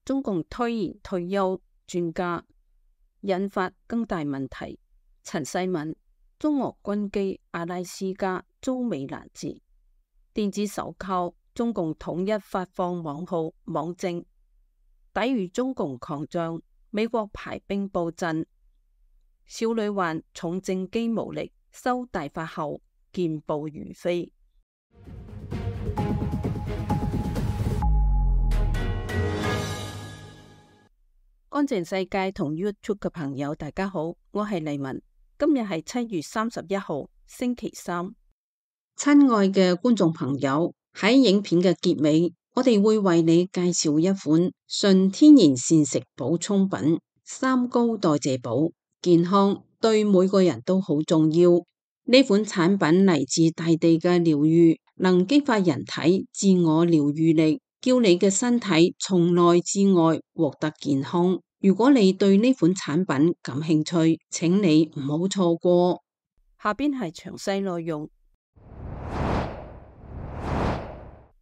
中共推延退休專家，引發更大問題。陳世敏，中俄軍機阿拉斯加遭美攔截，電子手銬，中共統一發放網號網證，抵禦中共狂將，美國排兵布陣。少女患重症肌無力，收大法後健步如飛。乾淨世界同 YouTube 嘅朋友，大家好，我係麗文。今日係7月31號，星期三。親愛嘅觀眾朋友，喺影片嘅結尾，我哋會為你介紹一款純天然膳食補充品——三高代謝寶。健康對每個人都好重要。呢款產品嚟自大地嘅療癒，能激發人體自我療癒力，叫你嘅身體從內至外獲得健康。如果你對呢款產品感興趣，請你唔好錯過。下邊係詳細內容。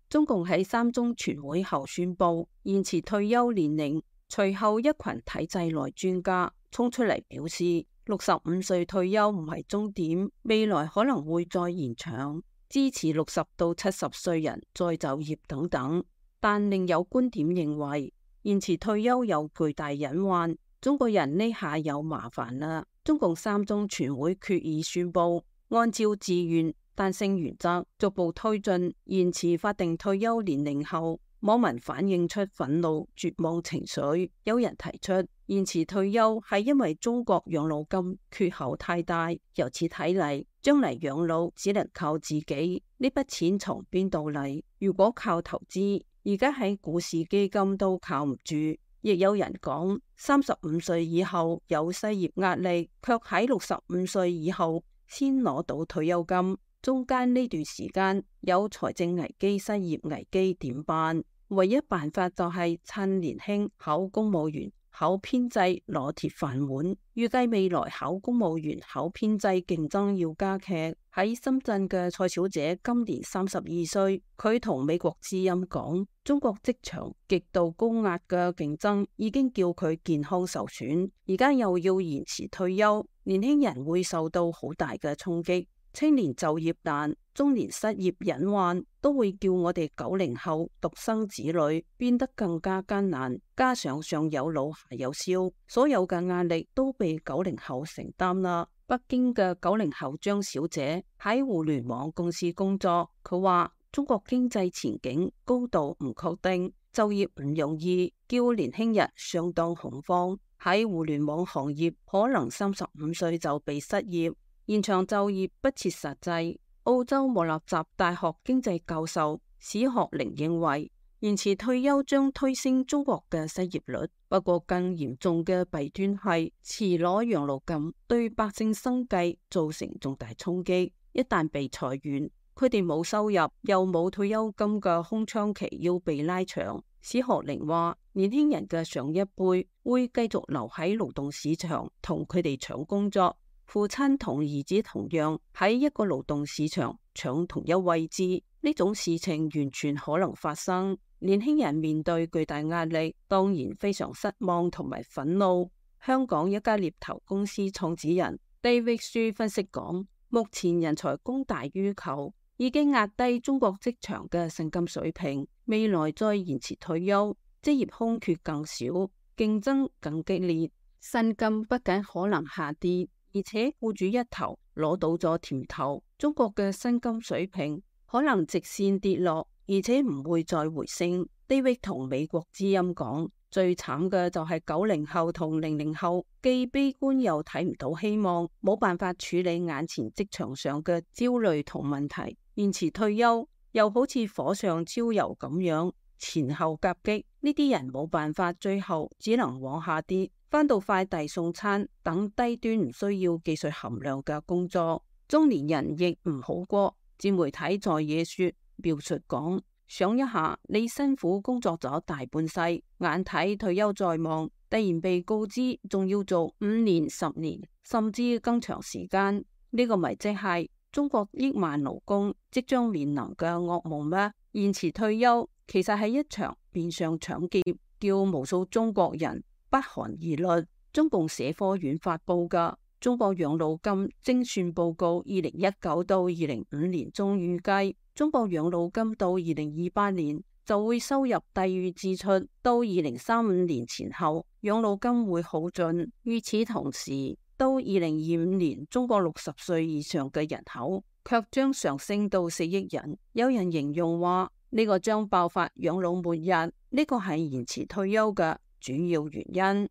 中共喺3中全會後宣布延遲退休年齡，隨後一群體制內專家衝出嚟表示，65歲退休唔係終點，未來可能會再延長，支持60到70歲人再就業等等。但另有觀點認為，延遲退休有巨大隱患，中國人呢下有麻煩啦。中共3中全會決議宣布，按照自願彈性原則逐步推進延遲法定退休年齡後，網民反映出憤怒、絕望情緒。有人提出延遲退休係因為中國養老金缺口太大，由此睇嚟，將嚟養老只能靠自己。呢筆錢從邊度嚟？如果靠投資，而家喺股市基金都靠唔住。亦有人講，35歲以後有失業壓力，卻喺65歲以後先攞到退休金，中間呢段時間有財政危機、失業危機，點辦？唯一辦法就係趁年輕考公務員、考編制攞鐵飯碗。預計未來考公務員、考編制競爭要加劇。喺深圳嘅蔡小姐今年32歲，佢同美國之音講，中國職場極度高壓嘅競爭已經叫佢健康受損，而家又要延遲退休，年輕人會受到好大嘅衝擊。青年就業難、中年失業隱患，都會叫我哋90後獨生子女變得更加艱難。加上上有老下有少，所有嘅壓力都被90後承擔啦。北京嘅90後張小姐喺互聯網公司工作，佢話中國經濟前景高度唔確定，就業唔容易，叫年輕人相當恐慌。喺互聯網行業，可能35歲就被失業。延長就業不切實際。澳洲莫納什大學經濟教授史學寧認為，延遲退休將推升中國嘅失業率。不過更嚴重嘅弊端係遲攞養老金，對百姓生計造成重大衝擊。一旦被裁員，佢哋冇收入又冇退休金嘅空窗期要被拉長。史學寧話，年輕人嘅上一輩會繼續留喺勞動市場同佢哋搶工作。父親同兒子同樣喺一個勞動市場搶同一位置，呢種事情完全可能發生。年輕人面對巨大壓力，當然非常失望同埋憤怒。香港一家獵頭公司創始人 David Xu 分析講，目前人才供大於求，已經壓低中國職場嘅薪金水平。未來再延遲退休，職業空缺更少，競爭更激烈，薪金不僅可能下跌，而且僱主一頭攞到咗甜頭，中國嘅薪金水平可能直線跌落，而且唔會再回升。David 同美國之音講，最慘嘅就係90後同00後，既悲觀又睇唔到希望，冇辦法處理眼前職場上嘅焦慮同問題。延遲退休又好似火上澆油咁樣，前後夾擊，呢啲人冇辦法，最後只能往下跌。返到快遞送餐等低端唔需要技術含量嘅工作。中年人亦唔好過。自媒體在野說描述講，想一下你辛苦工作咗大半世，眼睇退休在望，突然被告知仲要做5年、10年，甚至更長時間，呢個咪即係中國億萬勞工即將面臨嘅噩夢咩？延遲退休其實係一場變相搶劫，叫無數中國人不寒而慄。中共社科院發佈嘅《中國養老金精算報告》2019到2025年中預計，中國養老金到2028年就會收入低於支出，到2035年前後養老金會耗盡。與此同時，到2025年，中國60歲以上嘅人口卻將上升到4億人。有人形容話，呢個將爆發養老末日，呢個係延遲退休嘅主要原因。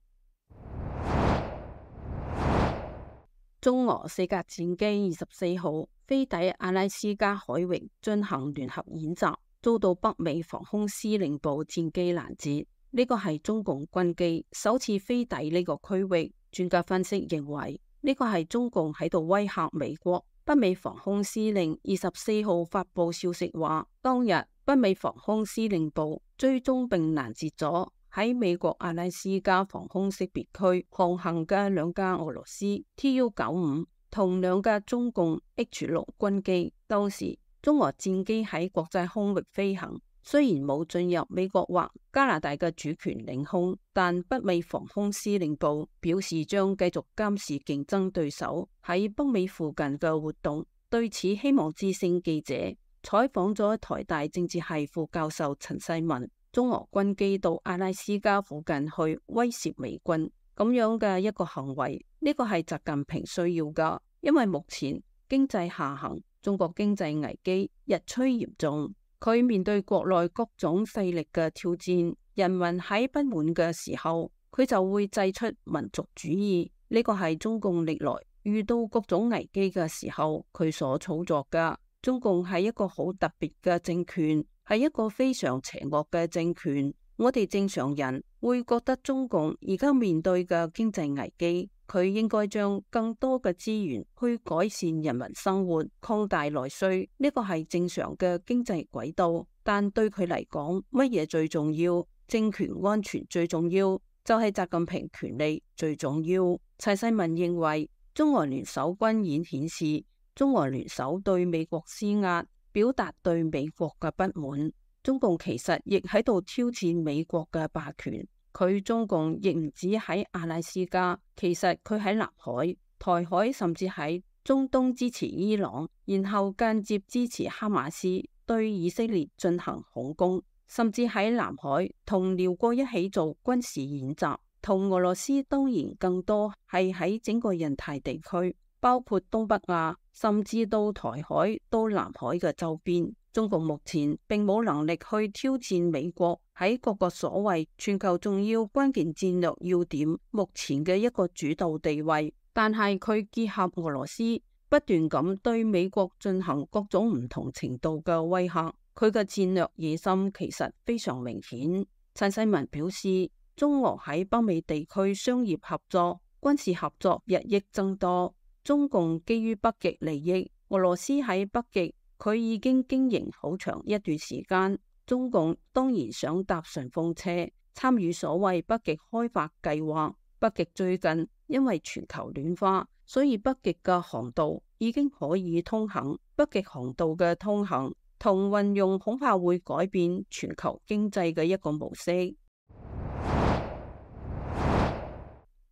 中俄四架戰機24號飛抵阿拉斯加海域進行聯合演習，遭到北美防空司令部戰機攔截。呢個係中共軍機首次飛抵呢個區域。專家分析認為，呢個係中共喺度威嚇美國。北美防空司令24號發佈消息話，當日北美防空司令部追蹤並攔截咗喺美國阿拉斯加防空識別區航行嘅2架俄羅斯 Tu-95同2架中共 H-6軍機。當時中俄戰機喺國際空域飛行，雖然冇進入美國或加拿大嘅主權領空，但北美防空司令部表示將繼續監視競爭對手喺北美附近嘅活動。對此，希望之聲記者採訪咗台大政治系副教授陳世文。中俄軍機到阿拉斯加附近去威懾美軍，咁樣嘅一個行為，呢個係習近平需要噶，因為目前經濟下行，中國經濟危機日趨嚴重。佢面對國內各種勢力嘅挑戰，人民喺不滿嘅時候，佢就會祭出民族主義。呢個係中共歷來遇到各種危機嘅時候佢所操作噶。中共係一個好特別嘅政權，係一個非常邪惡嘅政權。我哋正常人會覺得中共而家面對嘅經濟危機，佢應該將更多嘅資源去改善人民生活，擴大內需，呢個係正常嘅經濟軌道。但對佢嚟講，乜嘢最重要？政權安全最重要，就係習近平權力最重要。陳世文認為，中俄聯手軍演顯示中俄聯手對美國施壓，表達對美國嘅不滿。中共其實亦喺度挑戰美國嘅霸權。佢中共亦唔止喺阿拉斯加，其實佢喺南海、台海，甚至喺中東支持伊朗，然後間接支持哈馬斯對以色列進行恐攻，甚至喺南海同寮國一起做軍事演習。同俄羅斯當然更多係喺整個印太地區，包括東北亞，甚至到台海、到南海嘅周邊。中共目前並冇能力去挑戰美國喺各個所謂全球重要關鍵戰略要點目前嘅一個主導地位，但係佢結合俄羅斯不斷咁對美國進行各種唔同程度嘅威嚇，佢嘅戰略野心其實非常明顯。陳世文表示，中俄喺北美地區商業合作、軍事合作日益增多。中共基於北極利益，俄羅斯喺北極佢已經經營好長一段時間。中共當然想搭順風車，參與所謂北極開發計劃。北極最近因為全球暖化，所以北極嘅航道已經可以通行。北極航道嘅通行同運用恐怕會改變全球經濟嘅一個模式。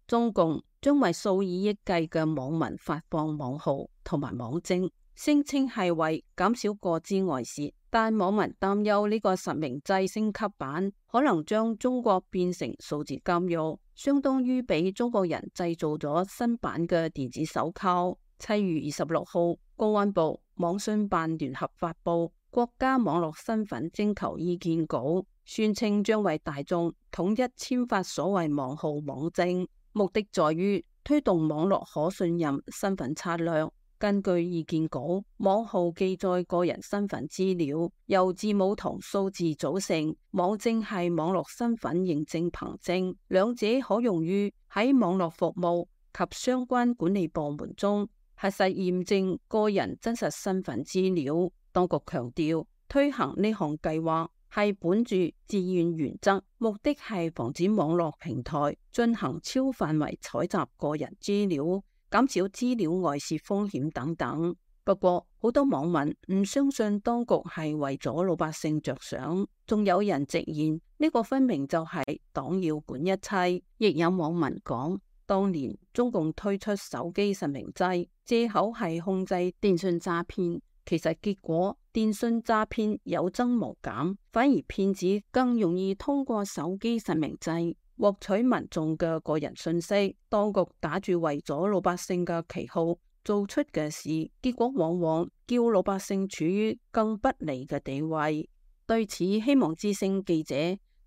中共將為數以億計嘅網民發放網號同埋網證，聲稱係為減少個資外洩，但網民擔憂呢個實名制升級版可能將中國變成數字監獄，相當於俾中國人製造咗新版嘅電子手銬。7月26號，公安部網信辦聯合發布國家網絡身份徵求意見稿，宣稱將為大眾統一簽發所謂網號網證，目的在於推動網絡可信任身份策略。根據意見稿，網號記載個人身份資料，由字母同數字組成。網證係網絡身份認證憑證，兩者可用於喺網絡服務及相關管理部門中核實驗證個人真實身份資料。當局強調，推行呢項計劃係本住自願原則，目的係防止網絡平台進行超範圍採集個人資料，減少資料外泄風險等等。不過好多網民唔相信當局係為咗老百姓着想，仲有人直言呢個分明就係黨要管一切。亦有網民講，當年中共推出手機實名制，借口係控制電信詐騙，其實結果電信詐騙有增無減，反而騙子更容易通過手機實名制獲取民眾嘅個人信息。當局打住為咗老百姓嘅旗號做出嘅事，結果往往叫老百姓處於更不利嘅地位。對此，希望之聲記者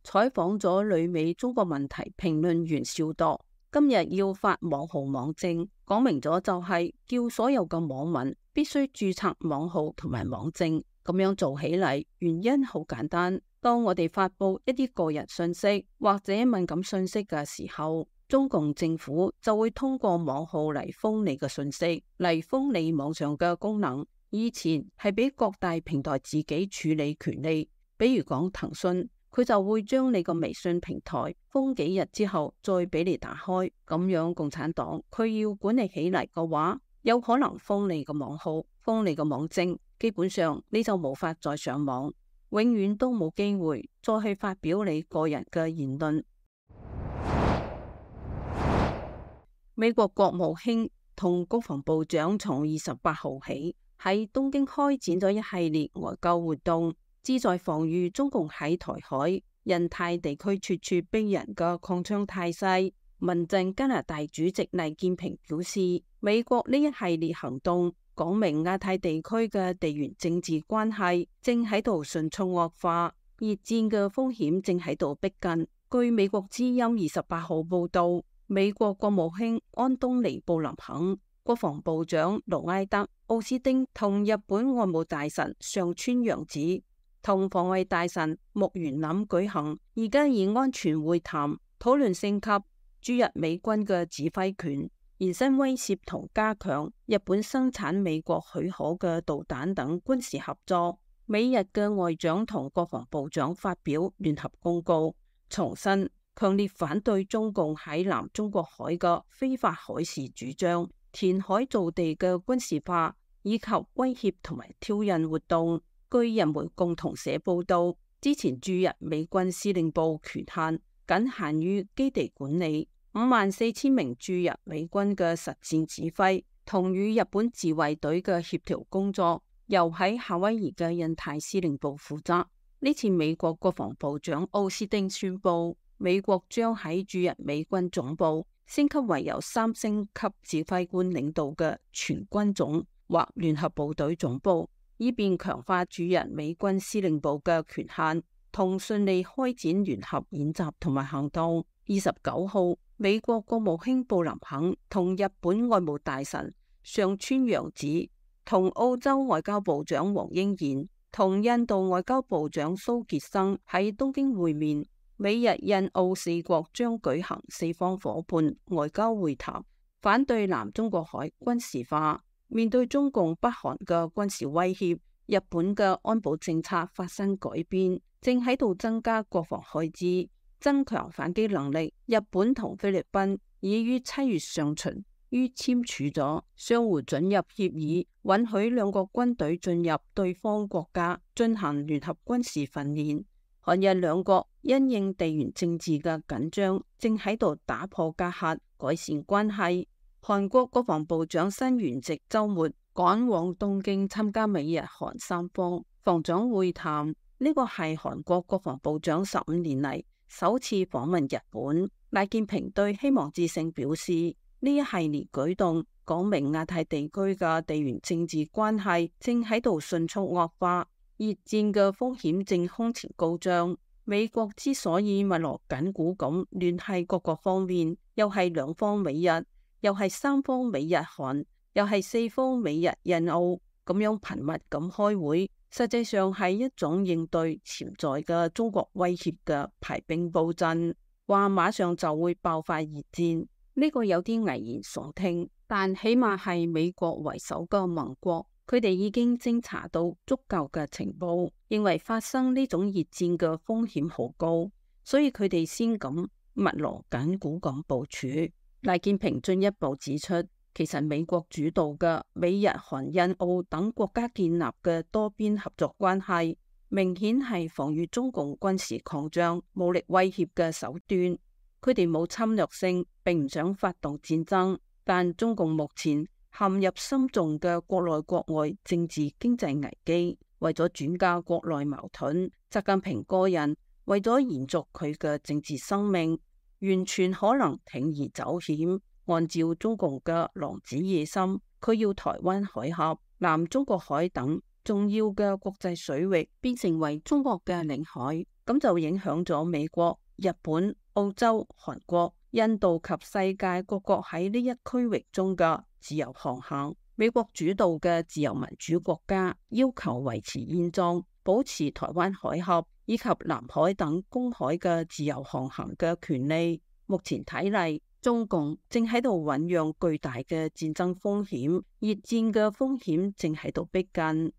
採訪咗旅美中國問題評論員邵鐸，今日要發網號網證，講明咗就係叫所有嘅網民必須註冊網號同埋網證。咁樣做起嚟，原因好簡單，當我哋發佈一啲個人信息或者敏感信息嘅時候，中共政府就會通過網號嚟封你嘅信息，嚟封你網上嘅功能。以前係俾各大平台自己處理權利，比如講騰訊，佢就會將你個微信平台封幾日之後再俾你打開。咁樣共產黨佢要管理起嚟嘅話，有可能封你個網號，封你個網證，基本上你就無法再上網，永遠都冇機會再去發表你個人嘅言論。美國國務卿同國防部長從28號起喺東京開展咗一系列外交活動，旨在防禦中共喺台海、印太地區處處逼人嘅擴張態勢。民陣加拿大主席黎建平表示，美國呢一系列行動講明亞太地區嘅地緣政治關係正喺度迅速惡化，熱戰嘅風險正喺度逼近。據美國之音28號報道，美國國務卿安東尼布林肯、國防部長盧埃德奧斯汀同日本外務大臣上川陽子同防衛大臣木原稔舉行而家以安全會談，討論升級駐日美軍嘅指揮權、延伸威懾同加強日本生產美國許可嘅導彈等軍事合作。美日嘅外長同國防部長發表聯合公告，重申強烈反對中共喺南中國海嘅非法海事主張、填海造地嘅軍事化以及威脅同埋挑釁活動。據人媒共同社報道，之前駐日美軍司令部權限僅限於基地管理，54000名駐日美軍嘅實戰指揮同與日本自衛隊嘅協調工作由喺夏威夷嘅印太司令部負責。呢次美國國防部長奧斯汀宣布，美國將喺駐日美軍總部升級為由3星級指揮官領導嘅全軍總或聯合部隊總部，以便強化駐日美軍司令部嘅權限，同順利開展聯合演習同埋行動。29號，美國國務卿布林肯同日本外務大臣上川陽子、同澳洲外交部長黃英賢、同印度外交部長蘇傑生喺東京會面。美日印澳4國將舉行4方夥伴外交會談，反對南中國海軍事化。面對中共北韓嘅軍事威脅，日本嘅安保政策發生改變，正喺度增加國防開支，增強反擊能力。日本同菲律賓已於7月上旬於簽署咗相互准入協議，允許兩國軍隊進入對方國家進行聯合軍事訓練。韓日兩國因應地緣政治嘅緊張，正喺度打破隔閡，改善關係。韓國國防部長新元直周末趕往東京參加美日韓3方防長會談，呢個係韓國國防部長15年嚟首次訪問日本。賴建平對希望之聲表示，呢一系列舉動講明亞太地區嘅地緣政治關係正喺度迅速惡化，熱戰嘅風險正空前高漲。美國之所以密鑼緊鼓咁聯繫各個方面，又係2方美日，又係3方美日韓，又係4方美日印澳，咁樣頻密咁開會，實際上係一種應對潛在嘅中國威脅嘅排兵布陣，話馬上就會爆發熱戰。呢個有啲危言聳聽，但起碼係美國為首嘅盟國，佢哋已經偵查到足夠嘅情報，認為發生呢種熱戰嘅風險好高，所以佢哋先咁密鑼緊鼓咁部署。賴建平進一步指出，其實美國主導嘅美日韓印澳等國家建立嘅多邊合作關係，明顯係防禦中共軍事擴張、武力威脅嘅手段。佢哋冇侵略性，並唔想發動戰爭，但中共目前陷入深重嘅國內國外政治經濟危機，為咗轉嫁國內矛盾，習近平個人為咗延續佢嘅政治生命，完全可能鋌而走險。按照中共嘅狼子野心，佢要台灣海峽、南中國海等重要嘅國際水域變成為中國嘅領海，咁就影響咗美國、日本、澳洲、韓國、印度及世界各國喺呢一區域中嘅自由航行。美國主導嘅自由民主國家要求維持現狀，保持台灣海峽以及南海等公海嘅自由航行嘅權利。目前睇嚟，中共正喺度醞釀巨大嘅戰爭風險，熱戰嘅風險正喺度逼近。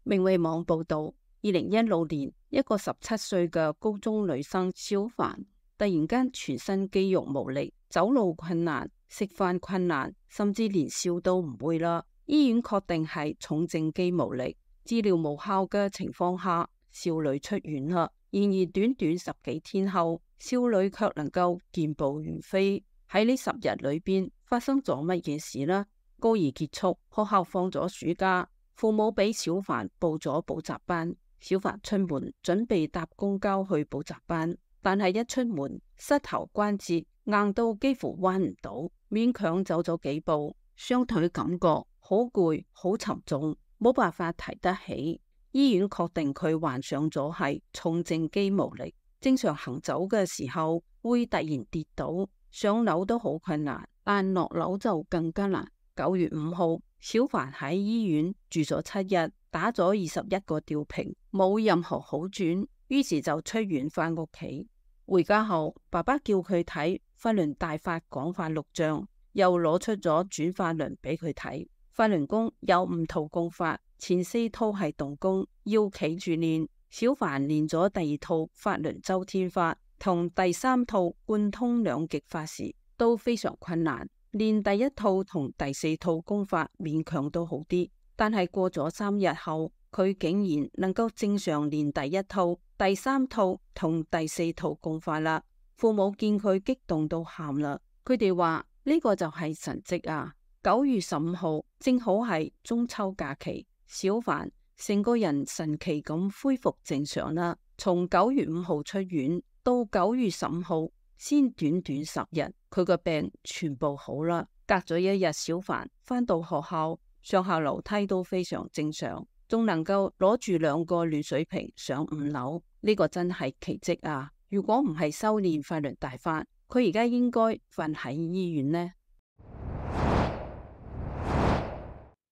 明慧網報道，2016年，一個17歲嘅高中女生小凡突然間全身肌肉無力，走路困難，食飯困難，甚至連笑都唔會啦。醫院確定係重症肌無力，治療無效嘅情況下，少女出院啦。然而短短10幾天後，少女卻能夠健步如飛。喺呢10日裏邊發生咗乜嘢事呢？高二結束，學校放咗暑假，父母俾小凡報咗補習班。小凡出門準備搭公交去補習班，但係一出門膝頭關節硬到幾乎彎唔到，勉強走咗幾步，雙腿感覺好攰好沉重，冇辦法提得起。醫院確定佢患上咗係重症肌無力，正常行走嘅時候會突然跌倒，上樓都好困難，但落樓就更加難。9月5號，小凡喺醫院住咗7日，打咗21個吊瓶，冇任何好轉，於是就出院返屋企。回家後，爸爸叫佢睇法輪大法廣法錄像，又攞出咗轉法輪俾佢睇。法輪功有5套功法，前4套係動功，要企住練。小凡練咗第2套法輪周天法同第3套貫通兩極法時，都非常困難。練第1套同第4套功法勉強都好啲，但係過咗3日後，佢竟然能夠正常練第1套、第3套同第4套功法啦。父母見佢激動到喊啦，佢哋話呢個就係神蹟啊！9月15號正好係中秋假期，小凡成個人神奇咁恢復正常啦。從9月5號出院到9月15號，先短短10日，佢個病全部好啦。隔咗1日，小凡返到學校，上下樓梯都非常正常，仲能夠攞住2個暖水瓶上5樓，呢個真係奇蹟啊！如果唔係修煉法輪大法，佢而家應該瞓喺醫院呢。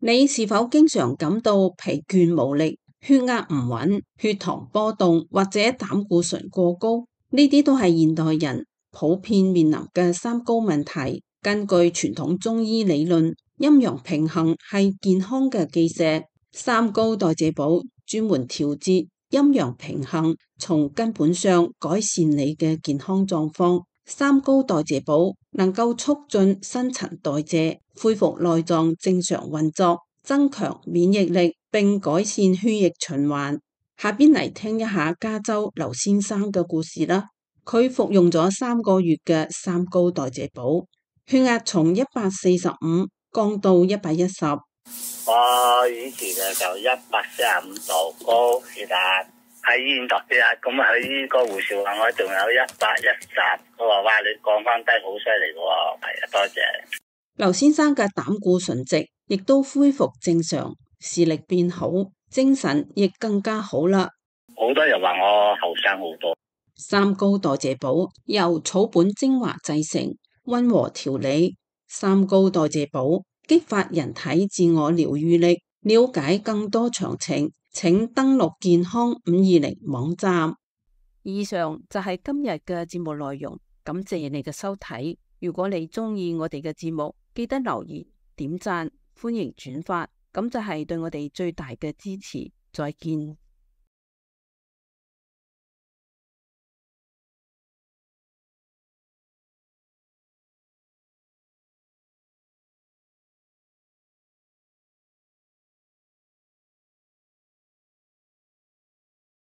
你是否經常感到疲倦無力、血壓唔穩、血糖波動或者膽固醇過高？呢啲都係現代人普遍面臨嘅3高問題。根據傳統中醫理論，陰陽平衡係健康嘅基石。3高代謝補專門調節陰陽平衡，從根本上改善你嘅健康狀況。3高代謝補能夠促進新陳代謝，恢復內臟正常運作，增強免疫力，並改善血液循環。下邊嚟聽一下加州劉先生嘅故事啦。佢服用咗3個月嘅3高代謝補，血壓從145降到110。我以前就145度高血壓，喺醫院度血壓，咁佢呢個護士話我仲有110，佢話哇，你降翻低好犀利喎。係啊，多謝。劉先生嘅膽固醇值亦都恢復正常，視力變好，精神亦更加好啦。好多人話我後生好多。3高代謝補由草本精華製成，溫和調理。3高代謝補激發人體自我療癒力。了解更多詳情，請登錄健康520網站。以上就係今日嘅節目內容，感謝你嘅收睇。如果你鍾意我哋嘅節目，記得留言、點讚、歡迎轉發，咁就係對我哋最大嘅支持。再見。